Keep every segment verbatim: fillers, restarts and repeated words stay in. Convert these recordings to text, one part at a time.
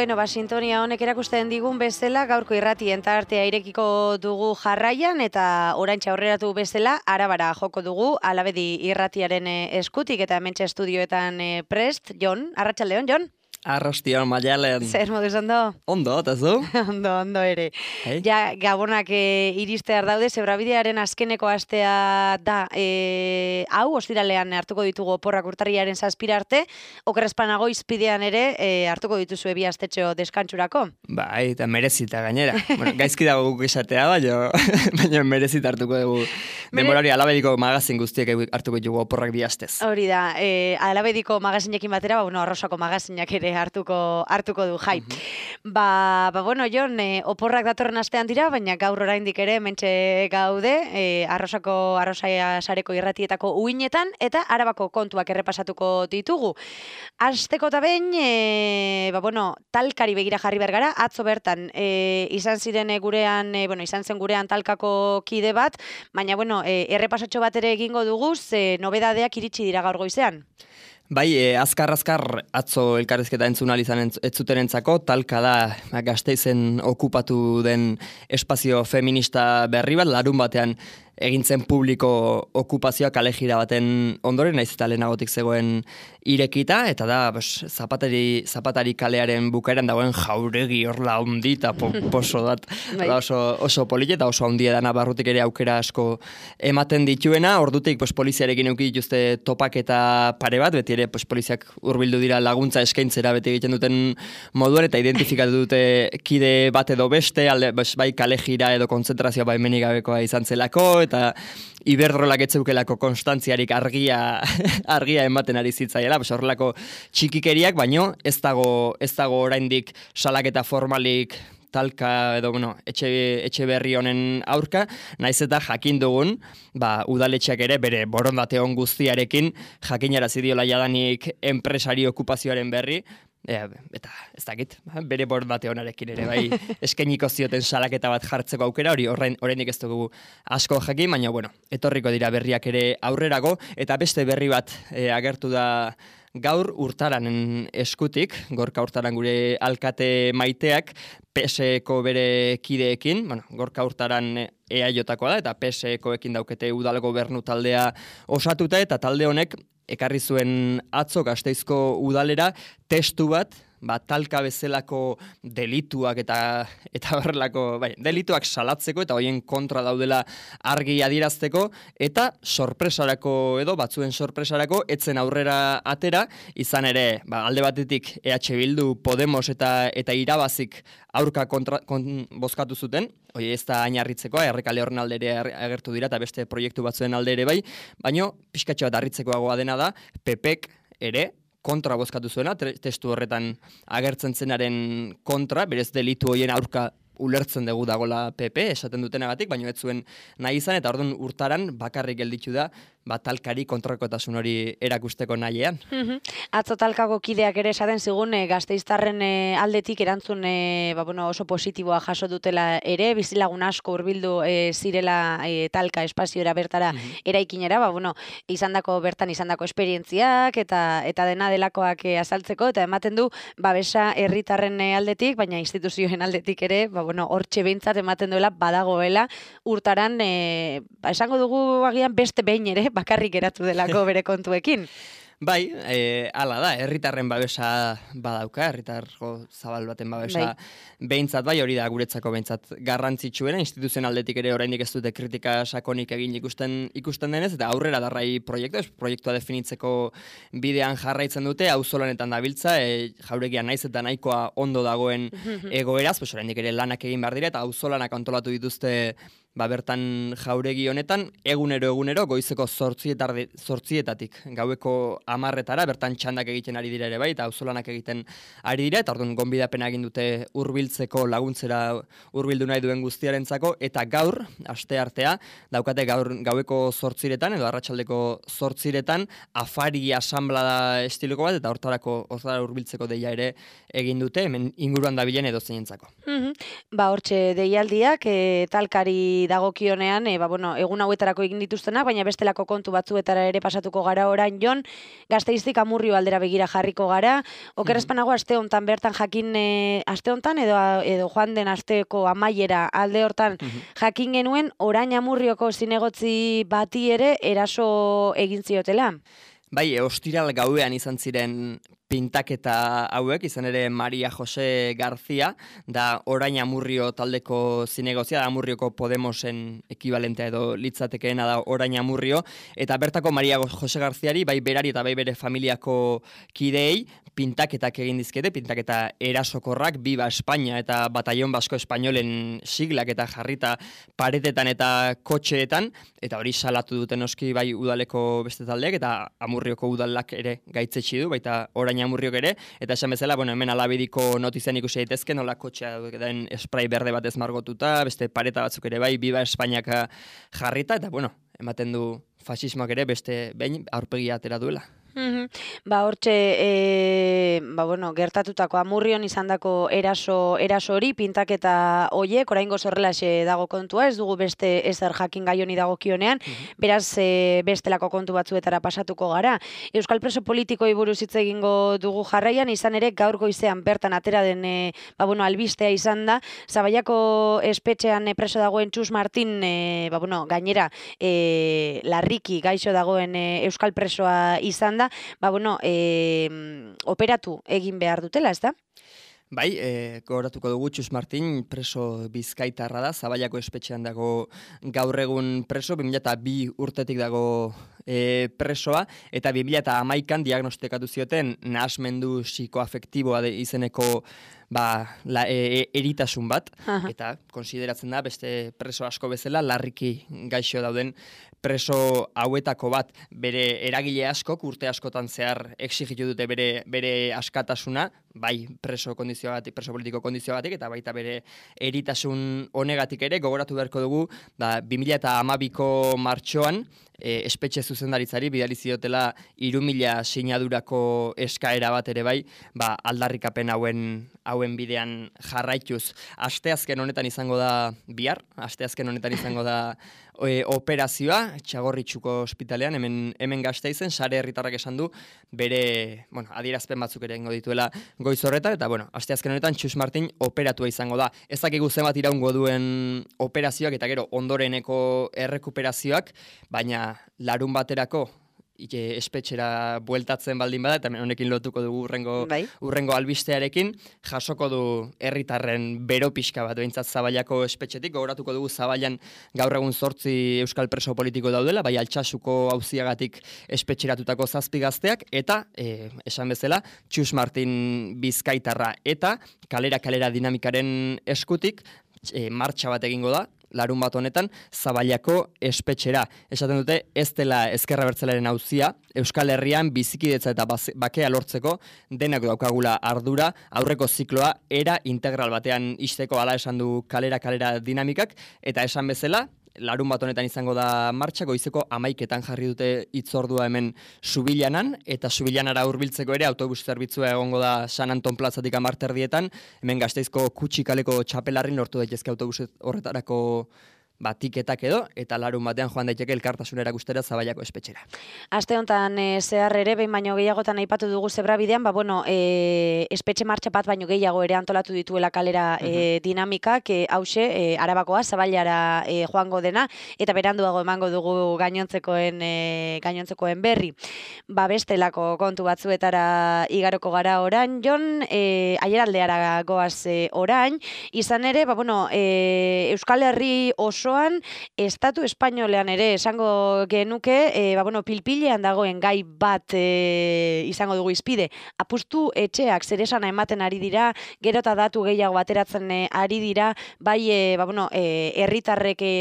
Bueno, ba, sintonia honek erakusten digun bezala, gaurko irratien tartea irekiko dugu jarraian, eta oraintxe aurreratu bezala, arabara joko dugu, Alabedi irratiaren eskutik, eta hementxe estudioetan prest. Jon, arratsaldeon, Jon? Arrastion, Maialen. Zer moduz ondo? Ondo, eta zu? ondo, ondo ere. Hey. Ja, gabonak e, iristear daude, zebrabidearen azkeneko astea da, e, hau, ostiralean hartuko ditugu oporrak urtarriaren zazpira arte, okerrezpanago izpidean ere e, hartuko dituzu ebi astetxo deskantsurako. Bai, eta merezita gainera. Bueno, gaizki dago guk esatea, baina, baina merezita hartuko dugu. Mere... Demorari Alabediko magazin guztiek hartuko ditugu oporrak bi astez. Hori da, e, Alabediko magazinekin batera, ba, bueno, Arrosako magazinak ere hartuko hartuko du jai. Mm-hmm. Ba, ba bueno, Jon, e, oporrak datorren astean dira, baina gaur oraindik ere mentxe gaude, e, Arrosako Arrosaia sareko irratietako uinetan eta Arabako kontuak errepasatuko ditugu. Asteko ta behin, e, ba bueno, talkari begira jarri bergara, atzo bertan e, izan ziren gurean, e, bueno, izan zen gurean talkako kide bat, baina bueno, e, errepasatxo bat ere egingo dugu, ze nobedadeak iritsi dira gaur goizean. Bai, e, azkar-azkar atzo elkarrizketa entzun ahal izan etzuterentzako, talka da Gasteizen okupatu den espazio feminista berri bat, larun batean egintzen publiko okupazioa kalejira baten ondoren, naiz eta lehenagotik zegoen irekita, eta da, bos, zapatari, zapatari kalearen bukaeran dagoen jauregi horla handi eta poso dat, da oso, oso polite eta oso handia dana barrutik ere aukera asko ematen dituena, ordutik pos, poliziarekin euki dituzte topak eta pare bat, beti ere pos, poliziak hurbildu dira laguntza eskaintzera beti egiten duten moduan, eta identifikatu dute kide bat edo beste, alde, bos, bai kalejira edo kontzentrazioa baimenik gabekoa izan zelako, eta Iberdrolak etzeukelako konstantziarik argia argia ematen ari zitzaiela, pues horrelako txikikeriak, baino ez dago ez dago oraindik salaketa formalik talka edo bueno, etxe, etxe berri honen aurka, naiz eta jakin dugun, ba, udaletxeak ere bere borondate on guztiarekin jakinarazi diola jadanik enpresari okupazioaren berri. Ja, eta ez dakit, bere borondate onarekin ere bai eskainiko zioten salaketa bat jartzeko aukera, hori oraindik ez dugu asko jakin, baina bueno, etorriko dira berriak ere aurrerago, eta beste berri bat e, agertu da gaur Urtaranen eskutik, Gorka Urtaran gure alkate maiteak, P S Eko bere kideekin, bueno, Gorka Urtaran E A Jotakoa da, eta P S Ekoekin daukete udal gobernu taldea osatuta, eta talde honek ekarri zuen atzo Gasteizko udalera testu bat, ba, talka bezalako delituak eta eta horrelako, bai, delituak salatzeko eta hoien kontra daudela argi adierazteko, eta sorpresarako edo batzuen sorpresarako etzen aurrera atera, izan ere, ba, alde batetik E H Bildu, Podemos eta eta irabazik aurka kontra, kon, bozkatu zuten, hoi ez da ainarritzekoa, errekale horren alde ere agertu dira eta beste proiektu batzuen alde ere bai, baino pixkatxo bat harritzekoagoa dena da, P Pek ere kontra bozkatu zuena, testu horretan agertzen zenaren kontra, berez delitu hoien aurka ulertzen dugu dagola P P, esaten dutenagatik, baino ez zuen nahi izan, eta orduan Urtaran bakarrik gelditu da, bat talkari kontrakotasun hori erakusteko nahian. Mm-hmm. Atzo talkako kideak ere esaten zigun, e, Gasteiztarren e, aldetik erantzun e, ba, bueno, oso positiboa jaso dutela ere, bizilagun asko hurbildu e, zirela e, talka espaziora bertara mm-hmm. eraikinera, ba, bueno, izandako bertan izandako esperientziak eta eta dena delakoak e, azaltzeko, eta ematen du babesa herritarren aldetik, baina instituzioen aldetik ere, ba, bueno, hortxe behintzat ematen duela badagoela Urtaran, e, ba, esango dugu agian beste behin ere, bakarrik geratu delako bere kontuekin. Bai, e, ala da, herritarren babesa badauka, herritargo zabal baten babesa bai. Behintzat bai, hori da guretzako behintzat garrantzitsuena, instituzioen aldetik ere oraindik ez dute kritika sakonik egin ikusten ikusten denez, eta aurrera darrai proiektua, proiektua definitzeko bidean jarraitzen dute, auzolanetan dabiltza, e, jauregia naiz eta nahikoa ondo dagoen egoeraz, pues oraindik ere lanak egin behar dira, eta auzolanak antolatu dituzte ba bertan jauregi honetan, egunero egunero goizeko zortzietatik gaueko amarretara, bertan txandak egiten ari dira ere bai, eta auzolanak egiten ari dira, eta orduan gonbidapena egin dute hurbiltzeko laguntzera hurbildu nahi duen guztiarentzako, eta gaur, aste artea, daukate gaur gaueko zortziretan, edo arratsaldeko zortziretan, afari asamblada estiloko bat, eta hortarako hortara hurbiltzeko deia ere egin dute, hemen inguruan dabilen edo zeinentzako. Mm-hmm. Ba hortxe deialdiak, e, talkari amurrioari dagokionean, e, ba, bueno, egun hauetarako egin dituztenak, baina bestelako kontu batzuetara ere pasatuko gara orain, Jon, Gasteiztik Amurrio aldera begira jarriko gara. Okerrezpanago aste hontan bertan jakin, e, aste hontan edo, edo joan den asteko amaiera alde hortan jakin genuen orain Amurrioko zinegotzi bati ere eraso egin ziotela. Bai, ostiral gauean izan ziren pintaketa hauek, izan ere Maria Jose García, da orain Amurrio taldeko zinegozia, da Amurrioko Podemosen ekibalentea edo litzatekeena da orain Amurrio, eta bertako Maria Jose Garziari, bai berari eta bai bere familiako kideei, pintaketak egin dizkete, pintaketa erasokorrak, Biba Espainia eta Batallon Basko Espainolen siglak eta jarrita paretetan eta kotxeetan, eta hori salatu duten oski bai udaleko beste taldeak, eta Amurrioko udalak ere gaitzetsi du, baita orain Amurriok ere, eta esan bezala, bueno, hemen alabediko notizian ikusi daitezke, nola kotxea den spray berde batez margotuta, beste pareta batzuk ere bai, Biba Espainiak jarrita, eta bueno, ematen du fasismoak ere beste behin aurpegia atera duela. Mm-hmm. Ba, hortxe, e, ba, bueno, gertatutako Amurrion izandako eraso, eraso hori, pintaketa hoiek, oraingo zorrelaxe dago kontua, ez dugu beste ezer jakin gai honi dagokionean, mm-hmm. beraz, e, bestelako kontu batzuetara pasatuko gara. Euskal preso politikoi buruz hitz egingo dugu jarraian, izan ere gaur goizean bertan atera den, e, ba, bueno, albistea izan da, Zabaiako espetxean e, preso dagoen Txus Martin, e, ba, bueno, gainera, e, larriki gaixo dagoen e, Euskal presoa izan da, ba, bueno, e, operatu egin behar dutela, ez da? Bai, e, gogoratuko dugu Txus Martin preso bizkaitarra da, Zabaiako espetxean dago gaur egun preso, bi mila bi urtetik dago e, presoa, eta bi mila hamaikan diagnostikatu zioten nahasmendu psikoafektiboa izeneko ba, la, e, eritasun bat, Aha. eta konsideratzen da beste preso asko bezala larriki gaixo dauden preso hauetako bat, bere eragile askok urte askotan zehar exigitu dute bere, bere askatasuna, bai preso kondizioagatik, preso politiko kondizioagatik, eta baita bere eritasun honegatik ere, gogoratu beharko dugu, da, bi mila hamabiko martxoan, e, espetxe zuzendaritzari bidali ziotela hiru mila sinadurako eskaera bat ere bai, ba, aldarrikapen hauen hauen bidean jarraituz. Asteazken honetan izango da bihar, asteazken honetan izango da e, operazioa, Txagorritxuko ospitalean, hemen, hemen Gasteizen, sare herritarrak esan du, bere, bueno, adierazpen batzuk ere ingo dituela goiz horretan, eta bueno, asteazken honetan Txus Martin operatua izango da. Ez dakigu zenbat iraungo duen operazioak eta gero ondoreneko errekuperazioak, baina larun baterako ike espetxera bueltatzen baldin bada, eta honekin lotuko dugu urrengo, bai. urrengo albistearekin, jasoko du herritarren bero pixka bat, behintzat Zabaiako espetxetik, gogoratuko dugu Zabaian gaur egun zortzi euskal preso politiko daudela, bai Altsasuko auziagatik espetxeratutako zazpi gazteak, eta, e, esan bezala, Txus Martin bizkaitarra, eta kalera-kalera dinamikaren eskutik, e, martxa bat egingo da, larun bat honetan, Zabaiako espetxera. Esaten dute, ez dela ezkerra bertzelaren auzia, Euskal Herrian bizikidetza eta bakea lortzeko denak daukagula ardura, aurreko zikloa era integral batean izteko, ala esan du kalera-kalera dinamikak, eta esan bezala, larun bat honetan izango da martxa, goizeko hamaiketan jarri dute hitzordua hemen Subillanan, eta Subillanara hurbiltzeko ere autobus zerbitzua egongo da San Anton plazatik amarterdietan, hemen Gasteizko Kutxikaleko txapelarrin lortu daitezke autobus horretarako ba, tiketak edo, eta larun batean joan daiteke elkartasunera guztera Zabaiako espetxera. Aste honetan e, zehar ere, behin baino gehiagotan aipatu dugu zebrabidean, ba, bueno, e, espetxe martxa bat baino gehiago ere antolatu dituela kalera e, uh-huh. dinamikak, e, hause, e, Arabakoa, Zabailara e, joango dena, eta beranduago emango dugu gainontzekoen, e, gainontzekoen berri. Ba, bestelako kontu batzuetara igaroko gara orain, Jon, e, aieraldeara goaz e, orain, izan ere, ba, bueno, e, Euskal Herri oso Estatu espainolean ere esango genuke, e, ba, bueno, pilpilean dagoen gai bat e, izango dugu izpide. Apustu etxeak zeresana ematen ari dira, gero eta datu gehiago bateratzen e, ari dira, bai e, ba, bueno, e, herritarrek e,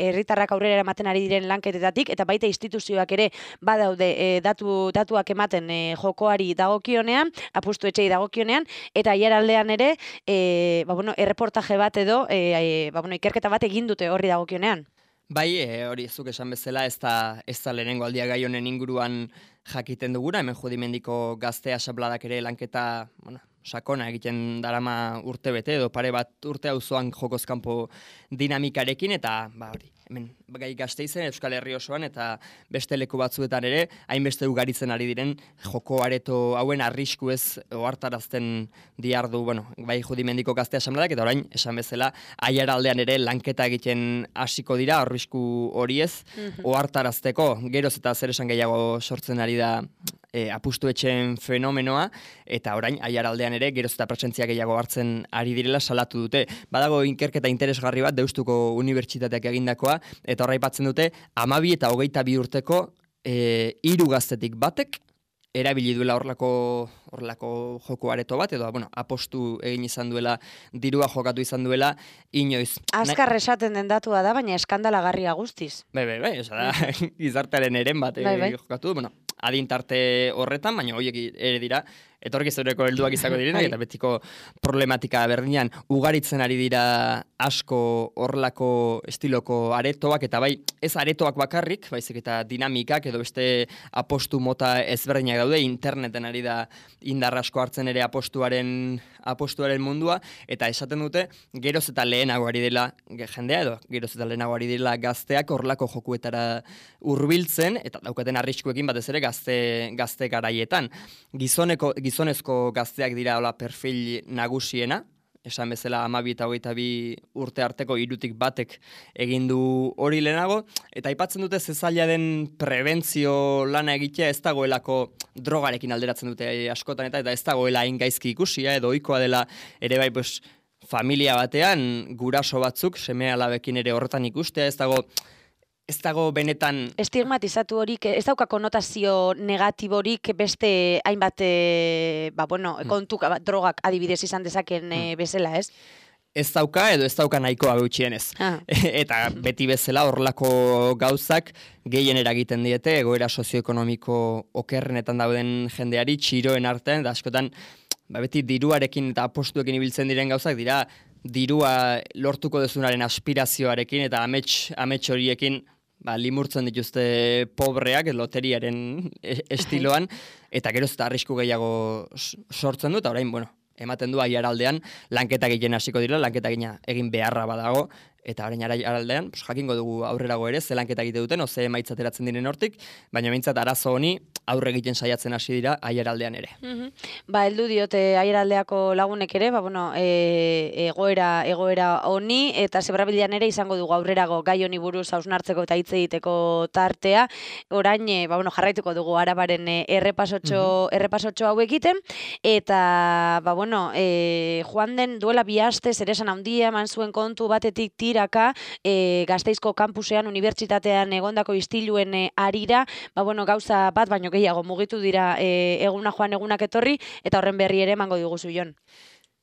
herritarrak aurrera ematen ari diren lanketetatik, eta baita instituzioak ere badaude e, datu, datuak ematen e, jokoari dagokionean, apustu etxei dagokionean, eta hieraldean ere, e, ba, bueno, erreportaje bat edo, e, e, ba, bueno, ikerketa bat egin dute horri dagokionean. Bai, e, hori zuk esan bezala, ez da, ez da lehenengo aldia gai honen inguruan jakiten duguna, hemen Judimendiko Gaztea Xabladak ere lanketa, bueno, sakona egiten darama urte bete, edo pare bat urte auzoan jokoz kanpo dinamikarekin, eta ba hori, hemen gai Gasteizen, Euskal Herri osoan, eta beste leku batzuetan ere, hainbeste ugaritzen ari diren joko areto hauen arrisku ez ohartarazten diardu, bueno, bai Judimendiko Gazte Asambleak, eta orain, esan bezala, Aiaraldean ere lanketa egiten hasiko dira, arrisku hori ez, ohartarazteko, geroz eta zer esan gehiago sortzen ari da E, apustu etxen fenomenoa, eta orain Aiaraldean ere geroz eta presentzia gehiago hartzen ari direla salatu dute. Badago inkerketa interesgarri bat Deustuko Unibertsitateak egindakoa, eta horra aipatzen dute hamabi eta hogeita bi urteko e, hiru gaztetik batek erabili duela horlako horlako joko areto bat, edo bueno, apostu egin izan duela, dirua jokatu izan duela, inoiz. Azkar esaten den datua da, baina eskandalagarria guztiz. Bai, bai, bai, oza da, gizartearen eren bat bai, bai. jokatu, bueno, adintarte horretan, baina horiek ere dira, etorkizuneko helduak izango direnak, eta betiko problematika berdinean ugaritzen ari dira asko horlako estiloko aretoak, eta bai, ez aretoak bakarrik, baizik eta dinamikak, edo beste apostu mota ezberdinak daude, interneten ari da indar asko hartzen ere apostuaren, apostuaren mundua, eta esaten dute, geroz eta lehenago ari dela jendea, edo geroz eta lehenago ari dela gazteak horlako jokuetara hurbiltzen, eta daukaten arriskuekin batez ere gazte, gazte garaietan. Gizoneko, gizonezko gazteak dira hola perfil nagusiena, esan bezala hamabi eta hogeita bi urte arteko hirutik batek egin du hori lehenago, eta aipatzen dute zezaila den prebentzio lana egitea ez dagoelako drogarekin alderatzen dute askotan, eta, eta ez dagoela hain gaizki ikusia, edo ohikoa dela ere bai, pues, familia batean guraso batzuk, seme alabekin ere horretan ikustea, ez dago ez dago benetan estigmatizatu horik, ez dauka konotazio negatiborik beste hainbat e, ba, bueno, kontuk, drogak adibidez izan dezaken e, bezala, ez? Ez dauka edo ez dauka nahikoa gutxienez. Ah. Eta beti bezala horlako gauzak gehien eragiten diete egoera sozioekonomiko okerrenetan dauden jendeari txiroen artean, eta askotan ba, beti diruarekin eta apostuekin ibiltzen diren gauzak dira dirua lortuko dezunaren aspirazioarekin eta amets, amets horiekin ba, limurtzen dituzte pobreak loteriaren estiloan, eta geroz eta arrisku gehiago sortzen du, eta orain, bueno, ematen du Aiaraldean lanketa egiten hasiko dira, lanketa egin beharra badago, eta orain Aiaraldean, pues, jakingo dugu aurrerago ere, ze lanketa egite duten, oze emaitza ateratzen diren hortik, baina behintzat arazo honi aurre egiten saiatzen hasi dira Aiaraldean ere. Mm-hmm. Ba, heldu diote Aiaraldeako lagunek ere, ba, bueno, e, egoera, egoera honi, eta Zebrabilean ere izango dugu aurrerago gai honi buruz hausnartzeko eta hitz egiteko tartea. Orain, e, ba, bueno, jarraituko dugu Arabaren e, errepasotxo, mm-hmm. errepasotxo hau egiten, eta, ba, bueno, e, joan den duela bi aste zeresan handia eman zuen kontu batetik tiraka, e, Gasteizko kampusean, unibertsitatean egondako istiluen e, arira, ba, bueno, gauza bat, baino gehiago mugitu dira e, eguna joan egunak etorri, eta horren berri ere emango diguzu, Jon.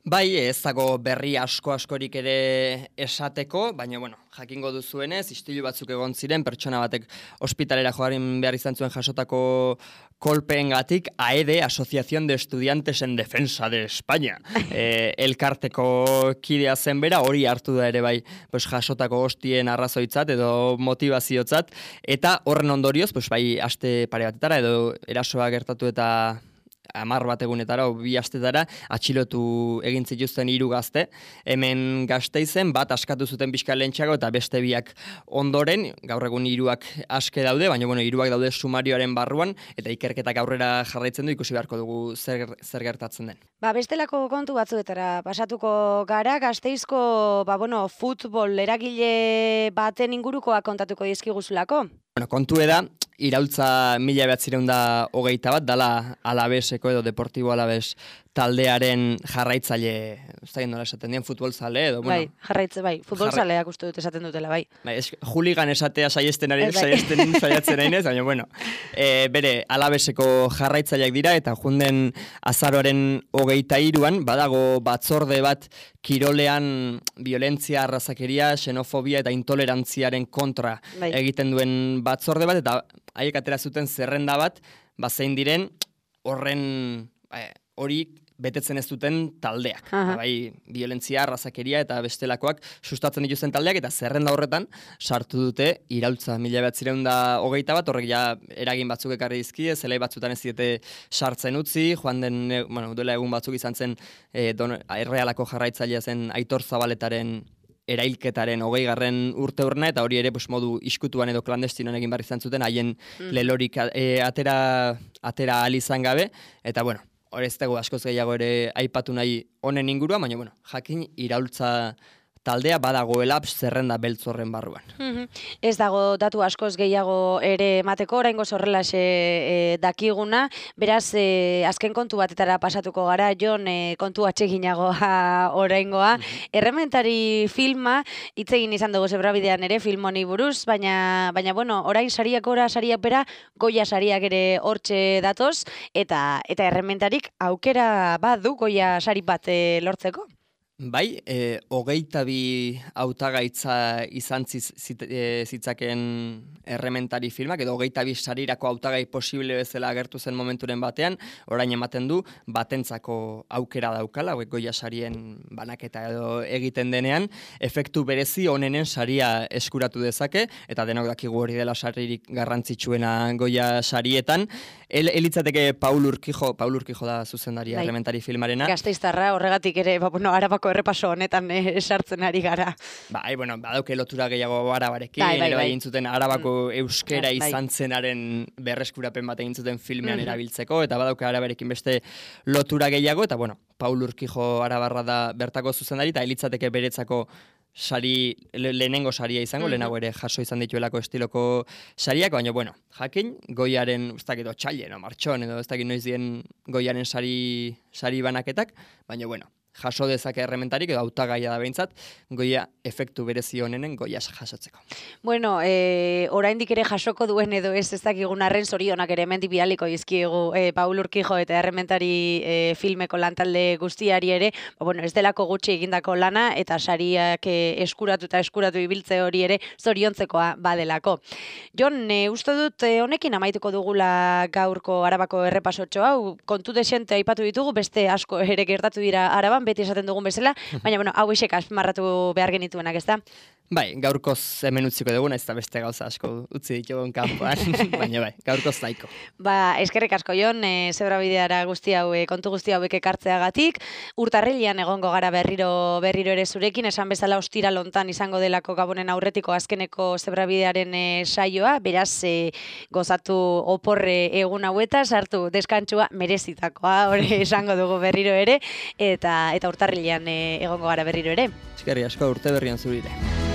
Bai, ez dago berri asko askorik ere esateko, baina, bueno, jakingo duzuenez, istilu batzuk egon ziren, pertsona batek ospitalera joarin behar izan zuen jasotako kolpeengatik, A E D, Asociación de Estudiantes en Defensa de España. E, elkarteko kidea zen bera, hori hartu da ere bai, pues, jasotako hostien arrazoitzat edo motivaziotzat, eta horren ondorioz, pues, bai, aste pare batetara, edo erasoa gertatu eta hamar bat egunetara, o bi astetara, atxilotu egin zituzten hiru gazte. Hemen Gasteizen bat askatu zuten pixka lehentxeago eta beste biak ondoren, gaur egun hiruak aske daude, baina bueno, hiruak daude sumarioaren barruan, eta ikerketak aurrera jarraitzen du, ikusi beharko dugu zer, zer gertatzen den. Ba, bestelako kontu batzuetara pasatuko gara, Gasteizko, ba, bueno, futbol eragile baten ingurukoa kontatuko dizkiguzulako. Bueno, kontu da, iraultza mila behatzireun da hogeita bat, dala Alabeseko edo Deportibo Alabes taldearen jarraitzaile, ez da nola esaten dien, futbolzale edo, bueno. Bai, jarraitze, bai, futbolzaleak uste dut esaten dutela, bai. Bai, es, juligan esatea saiesten ari, saiesten saiatzen ainez, baina, bueno, e, bere Alabeseko jarraitzaileak dira, eta junden azaroaren hogeita hiruan, badago batzorde bat kirolean violentzia, arrazakeria, xenofobia eta intolerantziaren kontra bai. Egiten duen batzorde bat, eta haiek atera zuten zerrenda bat, bazein diren horren hori betetzen ez duten taldeak. Bai, violentzia, arrazakeria eta bestelakoak sustatzen dituzten taldeak, eta zerrenda horretan sartu dute iraultza mila bederatziehun eta hogeita bat, horrek ja eragin batzuk ekarri dizkie, zelai batzutan ez diete sartzen utzi, joan den, bueno, duela egun batzuk izan zen e, don, Errealako jarraitzailea zen Aitor Zabaletaren erailketaren hogei garren urte urna, eta hori ere pues, modu iskutuan edo klandestinoan egin barri izan zuten, haien mm. lelorik e, atera, atera alizan gabe, eta bueno, hori ez dago askoz gehiago ere aipatu nahi honen ingurua, baina bueno, jakin iraultza taldea badagoela zerrenda beltz horren barruan. Mm-hmm. Ez dago datu askoz gehiago ere emateko, oraingoz horrelaxe e, dakiguna, beraz e, azken kontu batetara pasatuko gara, Jon, e, kontu atseginagoa oraingoa. Mm-hmm. Errementari filma, hitz egin izan dugu Zebrabidean ere film honi buruz, baina, baina bueno, orain sariak ora, sariak bera, Goya sariak ere hortxe datoz, eta, eta errementarik aukera badu Goya sari bat e, lortzeko? Bai, e, hogeita bi hautagaitza izan ziz, zit, e, zitzaken errementari filmak, edo hogeita bi sarirako hautagai posible bezala agertu zen momenturen batean, orain ematen du batentzako aukera daukala, hauek Goya sarien banaketa edo egiten denean, efektu berezi honenen saria eskuratu dezake, eta denok dakigu hori dela saririk garrantzitsuena Goya sarietan. El, elitzateke Paul Urquijo, Paul Urquijo da zuzendaria bai. Errementari filmarena. Gasteiztarra, horregatik ere, ba, bueno, Arabako errepaso honetan eh, sartzen ari gara. Bai, bueno, badauke lotura gehiago Arabarekin, bai, bai, bai. egin zuten Arabako euskera bai. izan zenaren berreskurapen bat egin zuten filmean mm-hmm. erabiltzeko, eta badauke Arabarekin beste lotura gehiago, eta bueno, Paul Urquijo Arabarra da bertako zuzendari, eta elitzateke beretzako sari, le, lehenengo saria izango, mm-hmm. lehenago ere jaso izan dituelako estiloko sariak, baina bueno, jakin, Goiaren, ez dakit, otxaile, no, martxon, edo ez dakit noiz dien Goiaren sari, sari banaketak, baina bueno, jaso dezake errementarik, edo hautagaia da behintzat, Goya efektu berezi honenen Goya jasotzeko. Bueno, e, oraindik ere jasoko duen edo ez ez dakigun arren zorionak ere hemendik bidaliko dizkiegu e, Paul Urquijo eta errementari e, filmeko lantalde guztiari ere, ba, bueno, ez delako gutxi egindako lana, eta sariak e, eskuratu eta eskuratu ibiltze hori ere zoriontzekoa badelako. Jon, e, uste dut e, honekin amaituko dugula gaurko Arabako errepasotxo hau, kontu desente aipatu ditugu, beste asko ere gertatu dira Araban, beti esaten dugun bezala, baina bueno, hau isek azpimarratu behar genituenak, ez da? Bai, gaurkoz hemen utziko dugun, ez da beste gauza asko utzi ditugun kanpoan, baina bai, gaurkoz zaiko. Ba, eskerrik asko Jon, e, Zebrabideara guzti hau, e, kontu guzti hauek ekartzeagatik, urtarrilean egongo gara berriro berriro ere zurekin, esan bezala ostira lontan izango delako Gabonen aurretiko azkeneko Zebrabidearen e, saioa, beraz e, gozatu oporre egun haueta, sartu deskantsua merezitakoa, hori esango dugu berriro ere, eta eta urtarrilean e, egongo gara berriro ere. Eskerrik asko, urte berrian zurire.